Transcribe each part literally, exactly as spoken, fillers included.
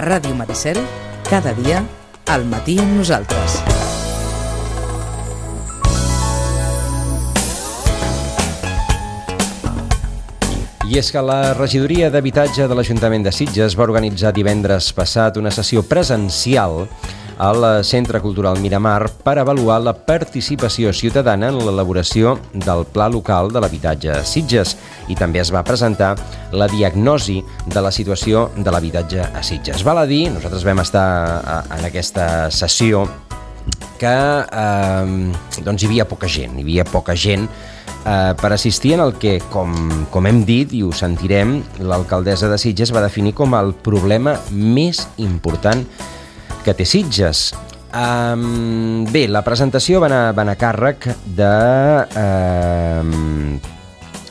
Ràdio Maricel, cada dia, al matí amb nosaltres. I és que la regidoria d'habitatge de l'Ajuntament de Sitges va organitzar divendres passat una sessió presencial al Centre Cultural Miramar per avaluar la participació ciutadana en l'elaboració del Pla Local de l'Habitatge a Sitges i també es va presentar la diagnosi de la situació de l'habitatge a Sitges. Val a dir, nosaltres vam estar en aquesta sessió que eh, doncs hi havia poca gent, hi havia poca gent eh, per assistir en el que, com, com hem dit i ho sentirem, l'alcaldessa de Sitges va definir com el problema més important que té Sitges. Um, bé, la presentació va anar, va anar a càrrec de, uh,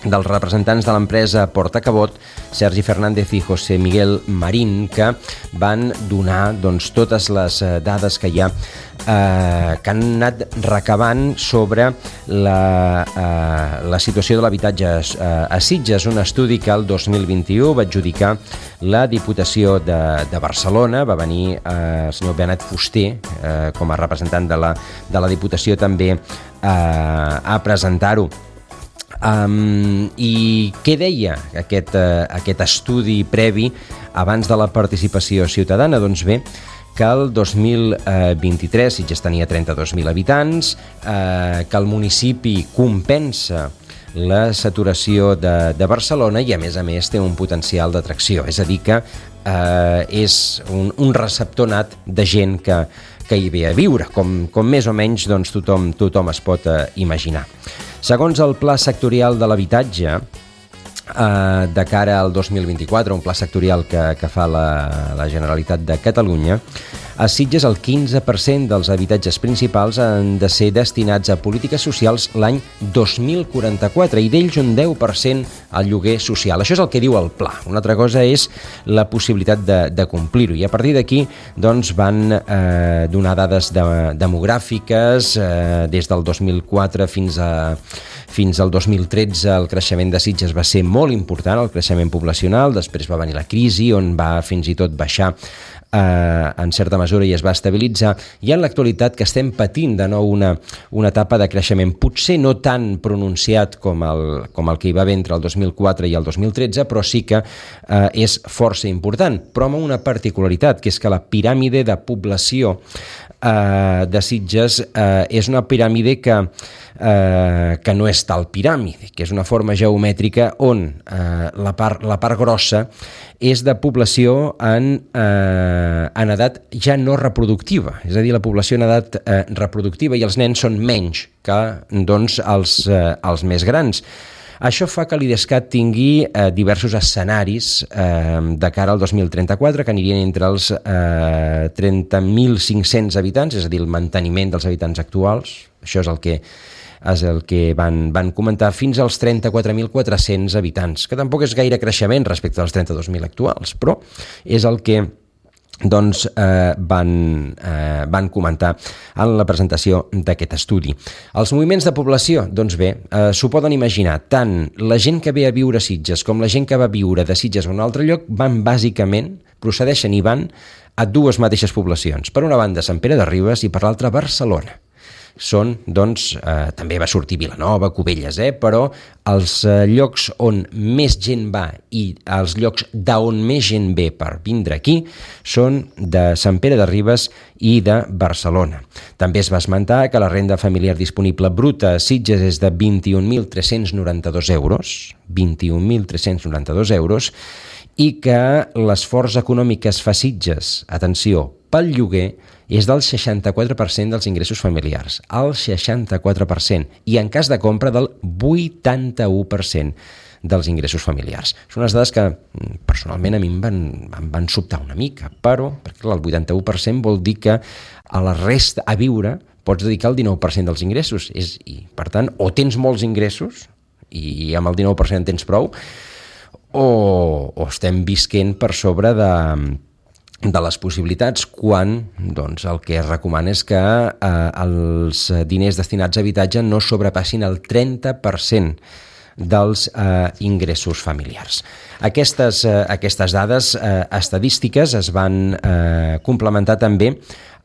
dels representants de l'empresa Portacabot, Sergi Fernández i José Miguel Marín, que van donar doncs, totes les dades que hi ha eh, que han anat recabant sobre la, eh, la situació de l'habitatge eh, a Sitges, un estudi que el dos mil vint-i-u va adjudicar la Diputació de, de Barcelona. Va venir eh, el senyor Benet Fuster eh, com a representant de la, de la Diputació també eh, a presentar-ho. Um, I què deia aquest, uh, aquest estudi previ abans de la participació ciutadana? Doncs bé, que el dos mil vint-i-tres Sitges tenia trenta-dos mil habitants, uh, que el municipi compensa la saturació de, de Barcelona i a més a més té un potencial d'atracció, és a dir que uh, és un, un receptor nat de gent que, que hi ve a viure, com, com més o menys doncs, tothom, tothom es pot uh, imaginar. Segons el Pla Sectorial de l'Habitatge, eh, de cara al dos mil vint-i-quatre, un pla sectorial que, que fa la, la Generalitat de Catalunya, a Sitges el quinze per cent dels habitatges principals han de ser destinats a polítiques socials l'any dos mil quaranta-quatre i d'ells un deu per cent al lloguer social. Això és el que diu el pla. Una altra cosa és la possibilitat de, de complir-ho. I a partir d'aquí doncs, van eh, donar dades de, demogràfiques eh, des del dos mil quatre fins a Fins al dos mil tretze el creixement de Sitges va ser molt important, el creixement poblacional, després va venir la crisi on va fins i tot baixar eh, en certa mesura i es va estabilitzar, i en l'actualitat que estem patint de nou una, una etapa de creixement, potser no tan pronunciat com el, com el que hi va haver entre el dos mil quatre i el dos mil tretze, però sí que eh, és força important, però amb una particularitat, que és que la piràmide de població eh, de Sitges eh, és una piràmide que Eh, que no és tal piràmide, que és una forma geomètrica on eh, la, part, la part grossa és de població en, eh, en edat ja no reproductiva, és a dir, la població en edat eh, reproductiva, i els nens són menys que doncs, els, eh, els més grans. Això fa que l'IDESCAT tingui eh, diversos escenaris eh, de cara al dos mil trenta-quatre, que anirien entre els eh, trenta mil cinc-cents habitants, és a dir, el manteniment dels habitants actuals, això és el que és el que van, van comentar, fins als trenta-quatre mil quatre-cents habitants, que tampoc és gaire creixement respecte als trenta-dos mil actuals, però és el que doncs, eh, van, eh, van comentar en la presentació d'aquest estudi. Els moviments de població, doncs bé, eh, s'ho poden imaginar, tant la gent que ve a viure a Sitges com la gent que va viure de Sitges a un altre lloc van bàsicament, procedeixen i van a dues mateixes poblacions. Per una banda Sant Pere de Ribes i per l'altra Barcelona. Són, doncs, eh, també va sortir Vilanova, Cubelles, eh, però els eh, llocs on més gent va i els llocs d'on més gent ve per vindre aquí són de Sant Pere de Ribes i de Barcelona. També es va esmentar que la renda familiar disponible bruta a Sitges és de vint-i-un mil tres-cents noranta-dos euros, vint-i-un mil tres-cents noranta-dos euros, i que l'esforç econòmic que es fa a Sitges, atenció, pel lloguer, és del seixanta-quatre per cent dels ingressos familiars, el seixanta-quatre per cent, i en cas de compra del vuitanta-u per cent dels ingressos familiars. Són unes dades que personalment a mi em van, em van sobtar una mica, però perquè el vuitanta-u per cent vol dir que a la resta, a viure, pots dedicar el dinou per cent dels ingressos. És, i, per tant, o tens molts ingressos i amb el dinou per cent tens prou, o, o estem visquent per sobre de... de les possibilitats, quan doncs, el que es recomana és que eh, els diners destinats a habitatge no sobrepassin el trenta per cent dels eh, ingressos familiars. Aquestes, eh, aquestes dades eh, estadístiques es van eh, complementar també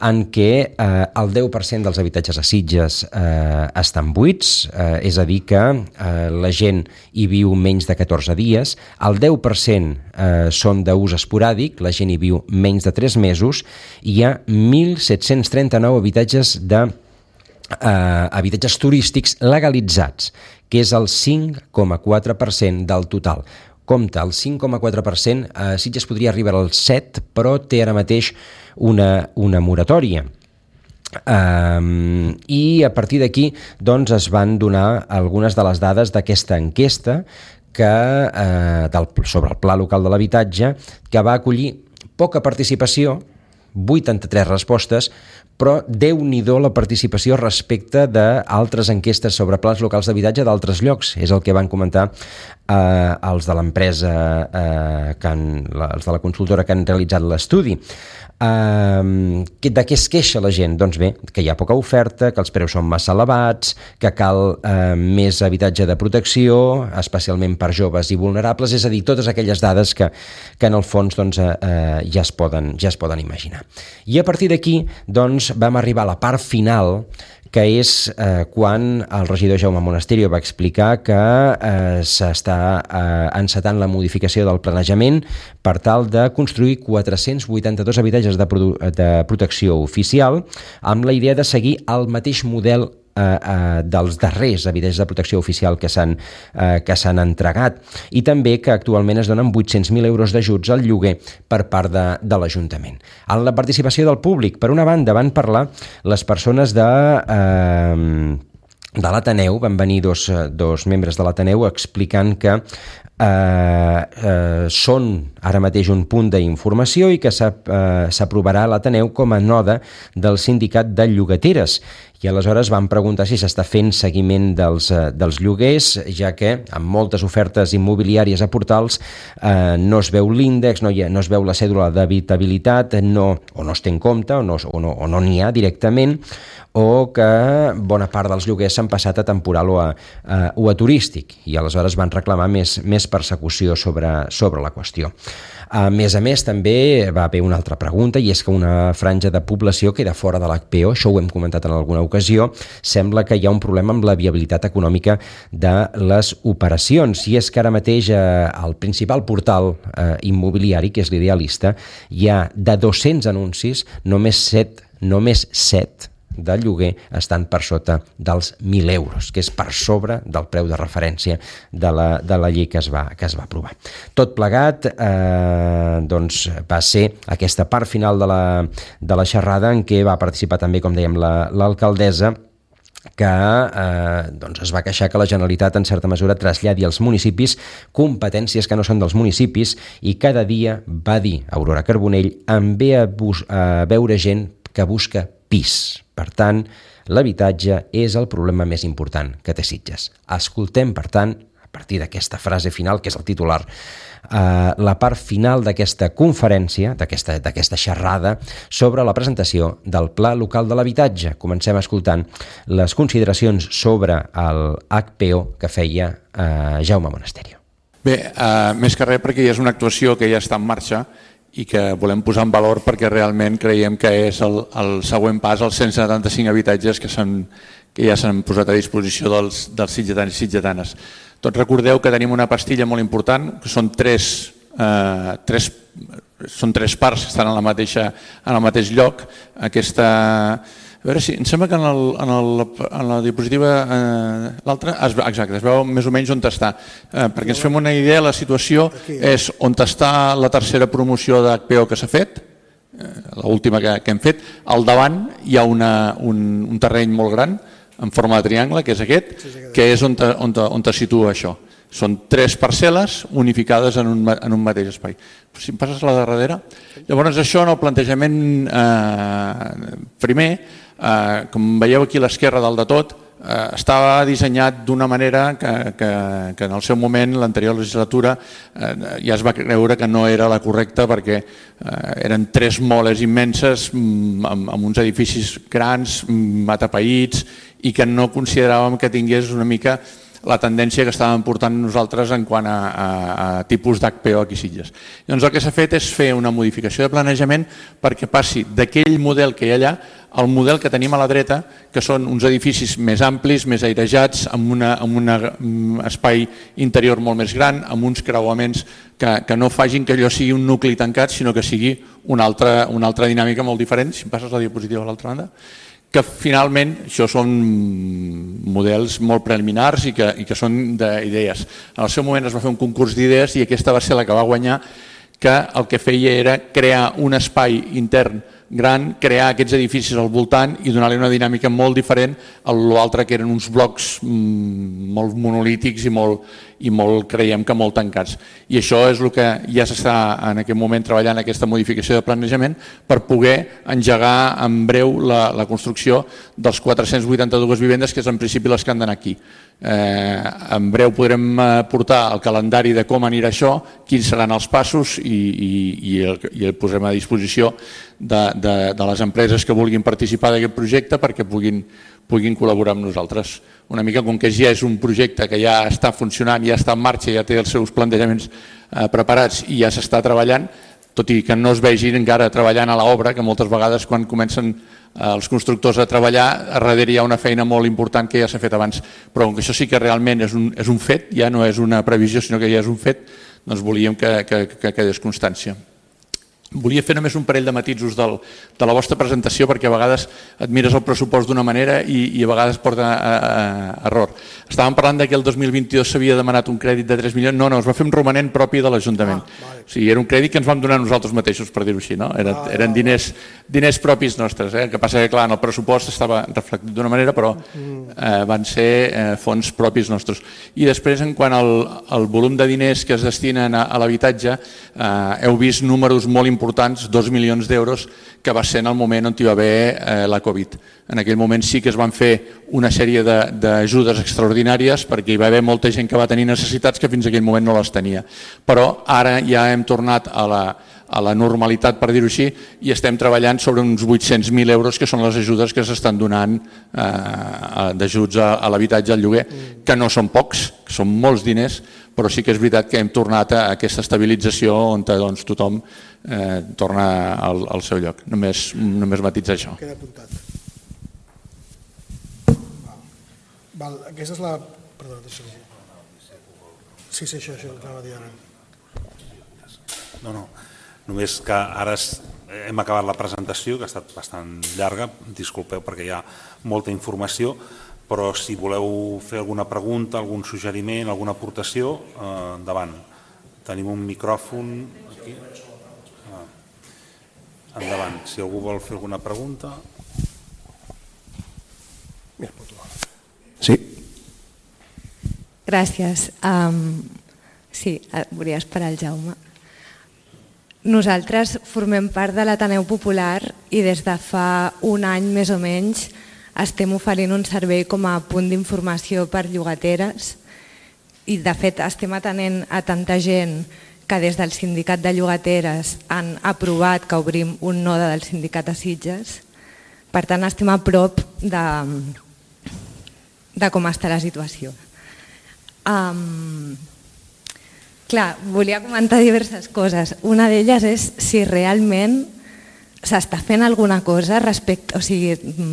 en què eh, el deu per cent dels habitatges a Sitges eh, estan buits, eh, és a dir que eh, la gent hi viu menys de catorze dies, el deu per cent eh, són d'ús esporàdic, la gent hi viu menys de tres mesos, i hi ha mil set-cents trenta-nou habitatges de eh, habitatges turístics legalitzats, que és el cinc coma quatre per cent del total. Compte, el cinc coma quatre per cent, eh, Sitges podria arribar al set, però té ara mateix una, una moratòria. Um, I a partir d'aquí doncs, es van donar algunes de les dades d'aquesta enquesta que, eh, del, sobre el Pla Local de l'Habitatge, que va acollir poca participació, vuitanta-tres respostes, però déu-n'hi-do la participació respecte d'altres enquestes sobre plans locals d'habitatge d'altres llocs. És el que van comentar eh, els de l'empresa, eh, que han, els de la consultora que han realitzat l'estudi. Uh, de què es queixa la gent? Doncs bé, que hi ha poca oferta, que els preus són massa elevats, que cal uh, més habitatge de protecció, especialment per joves i vulnerables, és a dir, totes aquelles dades que, que en el fons doncs, uh, uh, ja, es poden, ja es poden imaginar. I a partir d'aquí doncs, vam arribar a la part final, que és eh, quan el regidor Jaume Monasterio va explicar que eh, s'està eh, encetant la modificació del planejament per tal de construir quatre-cents vuitanta-dos habitatges de, de protecció oficial amb la idea de seguir el mateix model Eh, eh, dels darrers habitatges de protecció oficial que s'han eh, que s'han entregat, i també que actualment es donen vuit-cents mil euros d'ajuts al lloguer per part de, de l'Ajuntament. En la participació del públic, per una banda, van parlar les persones de... Eh, de l'Ateneu, van venir dos, dos membres de l'Ateneu explicant que eh, eh, són ara mateix un punt d'informació i que s'aprovarà a l'Ateneu com a node del sindicat de llogateres. I aleshores van preguntar si s'està fent seguiment dels, dels lloguers, ja que amb moltes ofertes immobiliàries a portals eh, no es veu l'índex, no, no es veu la cèdula d'habitabilitat, no, o no es té en compte, o no o no, o no n'hi ha directament, o que bona part dels lloguers s'han passat a temporal o a, a, o a turístic, i aleshores van reclamar més, més persecució sobre, sobre la qüestió. A més a més, també va haver una altra pregunta, i és que una franja de població queda fora de l'H P O, això ho hem comentat en alguna ocasió, sembla que hi ha un problema amb la viabilitat econòmica de les operacions, i és que ara mateix eh, el principal portal eh, immobiliari, que és l'Idealista, hi ha de dos-cents anuncis, només set, només set de lloguer estan per sota dels mil euros, que és per sobre del preu de referència de la, de la llei que es va, que es va aprovar. Tot plegat eh, doncs va ser aquesta part final de la, de la xerrada en què va participar també, com dèiem, la, l'alcaldessa, que eh, doncs es va queixar que la Generalitat en certa mesura traslladi als municipis competències que no són dels municipis, i cada dia, va dir Aurora Carbonell, em ve a, bus- a veure gent que busca pis. Per tant, l'habitatge és el problema més important que té Sitges. Escoltem, per tant, a partir d'aquesta frase final, que és el titular, eh, la part final d'aquesta conferència, d'aquesta, d'aquesta xerrada, sobre la presentació del Pla Local de l'Habitatge. Comencem escoltant les consideracions sobre el H P O que feia eh, Jaume Monasterio. Bé, eh, més que res perquè ja és una actuació que ja està en marxa i que volem posar en valor perquè realment creiem que és el, el següent pas als cent setanta-cinc habitatges que, que ja s'han posat a disposició dels, dels sitgetans i sitgetanes. Tots recordeu que tenim una pastilla molt important, que són tres, eh, tres, són tres parts que estan en, la mateixa, en el mateix lloc. Aquesta... A veure si, em sembla que en, el, en, el, en la diapositiva, eh, l'altra, exacte, es veu més o menys on està. Eh, perquè ens fem una idea, la situació és on està la tercera promoció d'H P O que s'ha fet, eh, l'última que, que hem fet. Al davant hi ha una, un, un terreny molt gran, en forma de triangle, que és aquest, que és on, on, on es situa això. Són tres parcel·les unificades en un, en un mateix espai. Si em passes a la darrere. Llavors això en el plantejament eh, primer, eh, com veieu aquí a l'esquerra dalt de tot, eh, estava dissenyat d'una manera que, que, que en el seu moment, l'anterior legislatura, eh, ja es va creure que no era la correcta perquè eh, eren tres moles immenses amb, amb uns edificis grans, atapeïts, i que no consideràvem que tingués una mica la tendència que estàvem portant nosaltres en quant a, a, a tipus d'H P O aquí a Sitges. Llavors el que s'ha fet és fer una modificació de planejament perquè passi d'aquell model que hi ha allà al model que tenim a la dreta, que són uns edificis més amplis, més airejats, amb un espai interior molt més gran, amb uns creuaments que, que no facin que allò sigui un nucli tancat, sinó que sigui una altra, una altra dinàmica molt diferent. Si em passes la diapositiva a l'altra banda, que finalment això són models molt preliminars i que, i que són d'idees. En el seu moment es va fer un concurs d'idees i aquesta va ser la que va guanyar, que el que feia era crear un espai intern gran, crear aquests edificis al voltant i donar-li una dinàmica molt diferent a l'altre, que eren uns blocs molt monolítics i molt, i molt, creiem que molt tancats. I això és el que ja s'està en aquest moment treballant, aquesta modificació de planejament, per poder engegar en breu la, la construcció dels quatre-cents vuitanta-dues vivendes, que és en principi les que han d'anar aquí. Eh, en breu podrem portar el calendari de com anirà això, quins seran els passos i, i, i, el, i el posem a disposició de, de, de les empreses que vulguin participar d'aquest projecte perquè puguin, puguin col·laborar amb nosaltres. Una mica com que ja és un projecte que ja està funcionant, ja està en marxa, ja té els seus plantejaments eh, preparats i ja s'està treballant, tot i que no es vegin encara treballant a l'obra, que moltes vegades quan comencen els constructors a treballar, a darrere hi ha una feina molt important que ja s'ha fet abans, però com que això sí que realment és un, és un fet, ja no és una previsió, sinó que ja és un fet, doncs volíem que, que, que quedés constància. Volia fer només un parell de matisos del, de la vostra presentació, perquè a vegades et mires el pressupost d'una manera i, i a vegades porta a, a, a error. Estàvem parlant que el dos mil vint-i-dos s'havia demanat un crèdit de tres milions, no, no, es va fer un romanent propi de l'Ajuntament. Ah, vale. O sigui, era un crèdit que ens vam donar nosaltres mateixos, per dir-ho així, no? Era, ah, eren diners, diners propis nostres, eh? El que passa que, clar, en el pressupost estava reflectit d'una manera, però eh, van ser eh, fons propis nostres. I després, en quant al, al volum de diners que es destinen a, a l'habitatge, eh, heu vist números molt importants importants, dos milions d'euros, que va ser en el moment on hi va haver eh, la Covid. En aquell moment sí que es van fer una sèrie d'ajudes extraordinàries perquè hi va haver molta gent que va tenir necessitats que fins a aquell moment no les tenia. Però ara ja hem tornat a la, a la normalitat, per dir-ho així, i estem treballant sobre uns vuit-cents mil euros, que són les ajudes que s'estan donant eh, d'ajuts a, a l'habitatge, al lloguer, que no són pocs, que són molts diners, però sí que és veritat que hem tornat a aquesta estabilització on doncs, tothom eh, torna al, al seu lloc. Només, només matitzar això. Queda apuntat. Val, aquesta és la... Perdó, deixa Sí, sí, això, això, anava a dir ara. No, no, només que ara hem acabat la presentació, que ha estat bastant llarga, disculpeu perquè hi ha molta informació, però si voleu fer alguna pregunta, algun suggeriment, alguna aportació, eh, endavant. Tenim un micròfon aquí. Ah. Endavant, si algú vol fer alguna pregunta. Sí. Gràcies. Um, sí, volia esperar el Jaume. Nosaltres formem part de l'Ateneu Popular i des de fa un any més o menys estem oferint un servei com a punt d'informació per llogateres i de fet estem atenent a tanta gent que des del sindicat de llogateres han aprovat que obrim un node del sindicat a Sitges. Per tant, estem a prop de, de com està la situació. Um, clar, volia comentar diverses coses. Una d'elles és si realment s'està fent alguna cosa respecte, o sigui,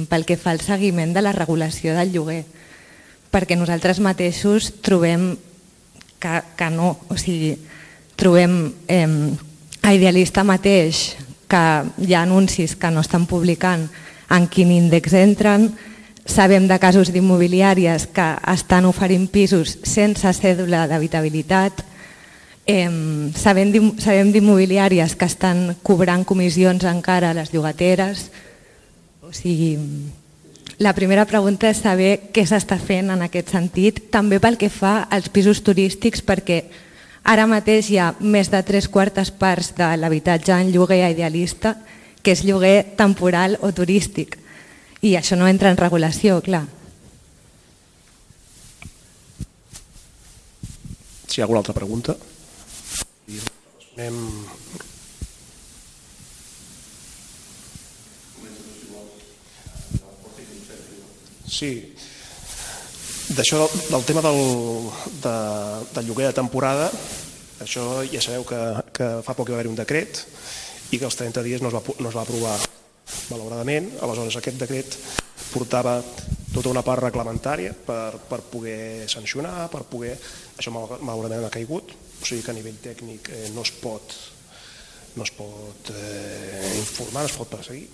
pel que fa al seguiment de la regulació del lloguer, perquè nosaltres mateixos trobem que, que no, o sigui, trobem eh, a Idealista mateix que hi ha anuncis que no estan publicant en quin índex entren, sabem de casos d'immobiliàries que estan oferint pisos sense cèdula d'habitabilitat, Eh, sabem d'immobiliàries que estan cobrant comissions encara a les llogateres. O sigui, la primera pregunta és saber què s'està fent en aquest sentit, també pel que fa als pisos turístics, perquè ara mateix hi ha més de tres quartes parts de l'habitatge en lloguer a Idealista que és lloguer temporal o turístic, i això no entra en regulació, clar. Si hi ha alguna altra pregunta? Anem... Sí. D'això, del tema del, de, del lloguer de temporada, això ja sabeu que, que fa poc hi va haver un decret i que als trenta dies no es va, no es va aprovar, malauradament. Aleshores, aquest decret portava tota una part reglamentària per, per poder sancionar, per poder... Això malauradament ha caigut, o sigui que a nivell tècnic eh, no es pot, no es pot eh, informar, no es pot perseguir.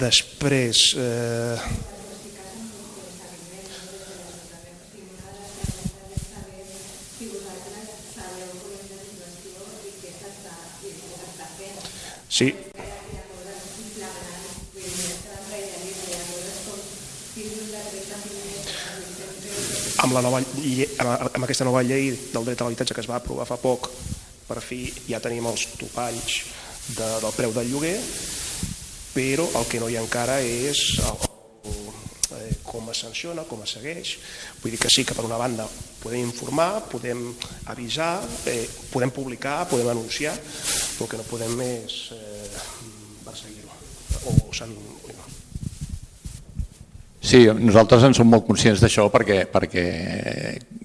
Després... Eh, Sí. Amb, la nova, amb aquesta nova llei del dret a l'habitatge que es va aprovar fa poc, per fi ja tenim els topalls de, del preu del lloguer, però el que no hi ha encara és el, el, com es sanciona, com es segueix. Vull dir que sí que per una banda podem informar, podem avisar, eh, podem publicar, podem anunciar, però el que no podem és eh, perseguir-ho o sancionar. Sí, nosaltres en som molt conscients d'això perquè, perquè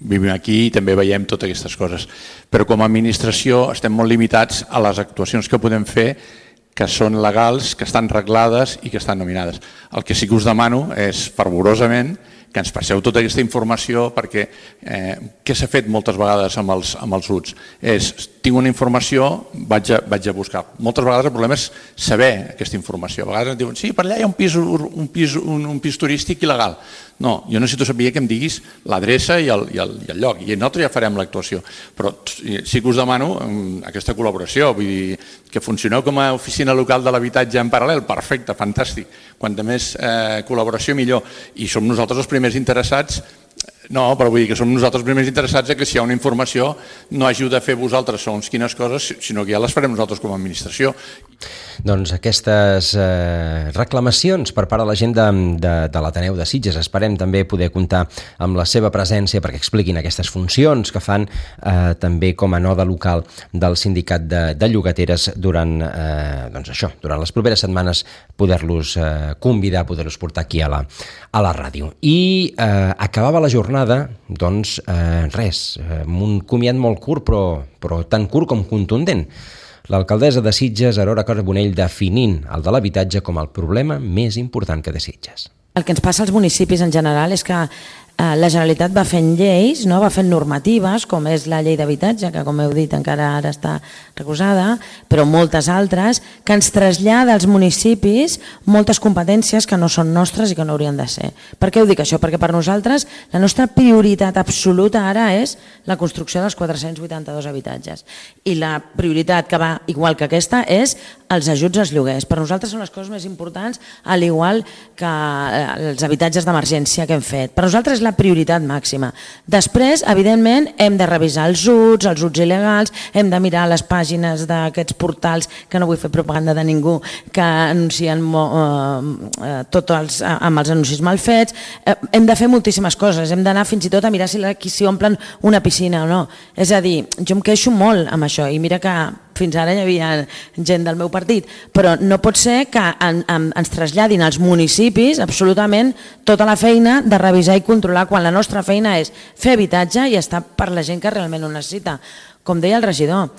vivim aquí i també veiem totes aquestes coses. Però com a administració estem molt limitats a les actuacions que podem fer que són legals, que estan reglades i que estan nominades. El que sí que us demano és fervorosament que ens passeu tota aquesta informació perquè eh, què s'ha fet moltes vegades amb els, amb els U T S? És, tinc una informació, vaig a, vaig a buscar. Moltes vegades el problema és saber aquesta informació. A vegades ens diuen, sí, per allà hi ha un pis, un pis, un, un pis turístic il·legal. No, jo necessito saber que em diguis l'adreça i, el, i, el, i el lloc, i nosaltres ja farem l'actuació. Però sí que us demano aquesta col·laboració, vull dir, que funcioneu com a oficina local de l'habitatge en paral·lel, perfecte, fantàstic. Quanta més eh, col·laboració millor. I som nosaltres els primers interessats. No, però vull dir que som nosaltres els primers interessats que si hi ha una informació no hàgiu de fer vosaltres segons quines coses, sinó que ja les farem nosaltres com a administració. Doncs aquestes eh, reclamacions per part de la gent de, de, de l'Ateneu de Sitges. Esperem també poder comptar amb la seva presència perquè expliquin aquestes funcions que fan eh, també com a node local del sindicat de, de llogateres durant, eh, doncs això, durant les properes setmanes poder-los eh, convidar, poder-los portar aquí a la, a la ràdio. I eh, acabava la jornada, doncs eh, res, amb un comiat molt curt però, però tan curt com contundent. L'alcaldessa de Sitges, Aurora Carbonell, definint el de l'habitatge com el problema més important que té Sitges. El que ens passa als municipis en general és que eh, la Generalitat va fent lleis, no? Va fent normatives, com és la llei d'habitatge, que com heu dit encara ara està recusada, però moltes altres, que ens trasllada als municipis moltes competències que no són nostres i que no haurien de ser. Per què ho dic això? Perquè per nosaltres la nostra prioritat absoluta ara és la construcció dels quatre-cents vuitanta-dos habitatges. I la prioritat que va igual que aquesta és els ajuts als lloguers. Per nosaltres són les coses més importants, al igual que els habitatges d'emergència que hem fet. Per nosaltres és la prioritat màxima. Després, evidentment, hem de revisar els U Ts, els U Ts il·legals, hem de mirar les pàgines d'aquests portals, que no vull fer propaganda de ningú, que anuncien eh, tots els, amb els anuncis mal fets. Eh, hem de fer moltíssimes coses, hem d'anar fins i tot a mirar si, si omplen una piscina o no. És a dir, jo em queixo molt amb això i mira que fins ara hi havia gent del meu partit, però no pot ser que en, en, ens traslladin als municipis absolutament tota la feina de revisar i controlar quan la nostra feina és fer habitatge i estar per la gent que realment ho necessita. Com deia el regidor,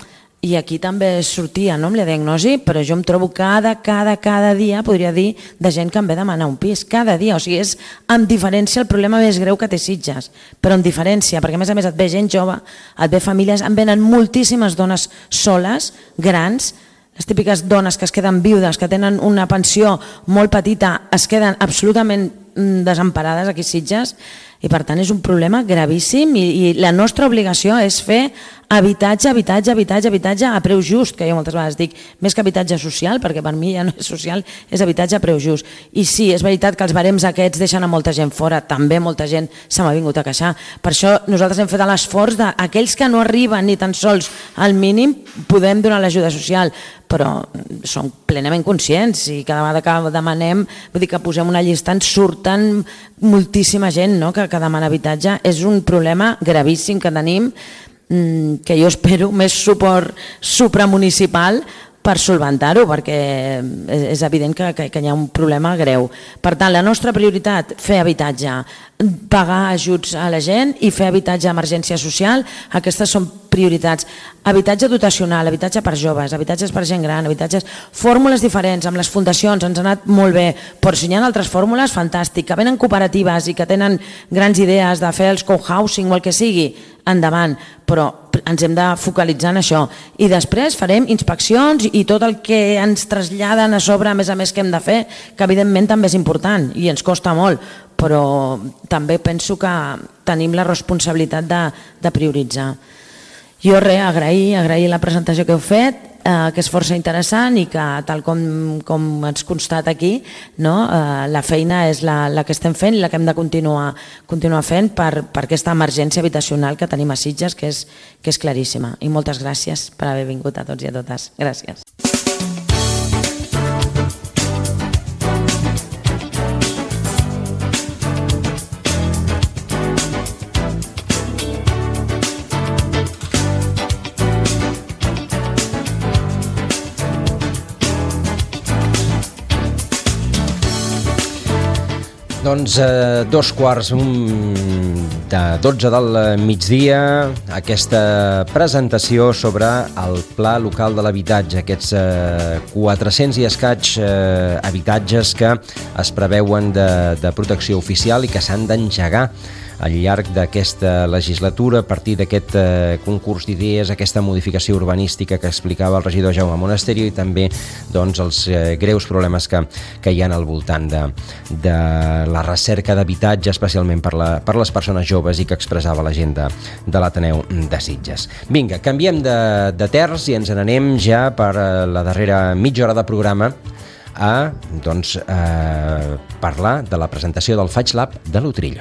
i aquí també sortia, no, amb la diagnosi, però jo em trobo cada, cada, cada dia, podria dir, de gent que em ve demanar un pis, cada dia, o sigui, és amb diferència el problema més greu que té Sitges, però amb diferència, perquè a més a més et ve gent jove, et ve famílies, em venen moltíssimes dones soles, grans, les típiques dones que es queden viudes, que tenen una pensió molt petita, es queden absolutament desemparades aquí a Sitges, i per tant és un problema gravíssim i, i la nostra obligació és fer habitatge, habitatge, habitatge, habitatge a preu just, que jo moltes vegades dic, més que habitatge social, perquè per mi ja no és social, és habitatge a preu just. I sí, és veritat que els barems aquests deixen a molta gent fora, també molta gent se m'ha vingut a queixar. Per això nosaltres hem fet l'esforç d'aquells que no arriben ni tan sols al mínim, podem donar l'ajuda social, però som plenament conscients i cada vegada que demanem, vull dir que posem una llista, ens surten moltíssima gent, no?, que, que demana habitatge. És un problema gravíssim que tenim, que jo espero més suport supramunicipal per solventar-ho, perquè és evident que, que, que hi ha un problema greu. Per tant, la nostra prioritat, fer habitatge, pagar ajuts a la gent i fer habitatge d'emergència social, aquestes són prioritats. Habitatge dotacional, habitatge per joves, habitatges per gent gran, habitatges... Fórmules diferents, amb les fundacions ens ha anat molt bé, però si hi ha altres fórmules, fantàstic. Que venen cooperatives i que tenen grans idees de fer els co-housing o el que sigui, endavant, però ens hem de focalitzar en això. I després farem inspeccions i tot el que ens traslladen a sobre, a més a més que hem de fer, que evidentment també és important i ens costa molt, però també penso que tenim la responsabilitat de, de prioritzar. Jo res, agrair, agrair la presentació que heu fet, eh, que és força interessant i que tal com, com ens constat aquí, no, eh, la feina és la, la que estem fent i la que hem de continuar, continuar fent per, per aquesta emergència habitacional que tenim a Sitges, que és, que és claríssima. I moltes gràcies per haver vingut a tots i a totes. Gràcies. Doncs eh, dos quarts de dotze del migdia, aquesta presentació sobre el Pla Local de l'Habitatge, aquests eh, quatre-cents i escaig eh, habitatges que es preveuen de, de protecció oficial i que s'han d'engegar al llarg d'aquesta legislatura a partir d'aquest eh, concurs d'idees, aquesta modificació urbanística que explicava el regidor Jaume Monasterio i també doncs, els eh, greus problemes que, que hi ha al voltant de, de la recerca d'habitatge, especialment per, la, per les persones joves i que expressava la gent de, de l'Ateneu de Sitges. Vinga, canviem de, de terç i ens n'anem ja per la darrera mitja hora de programa a doncs, eh, parlar de la presentació del Faig Lab de l'Utrillo.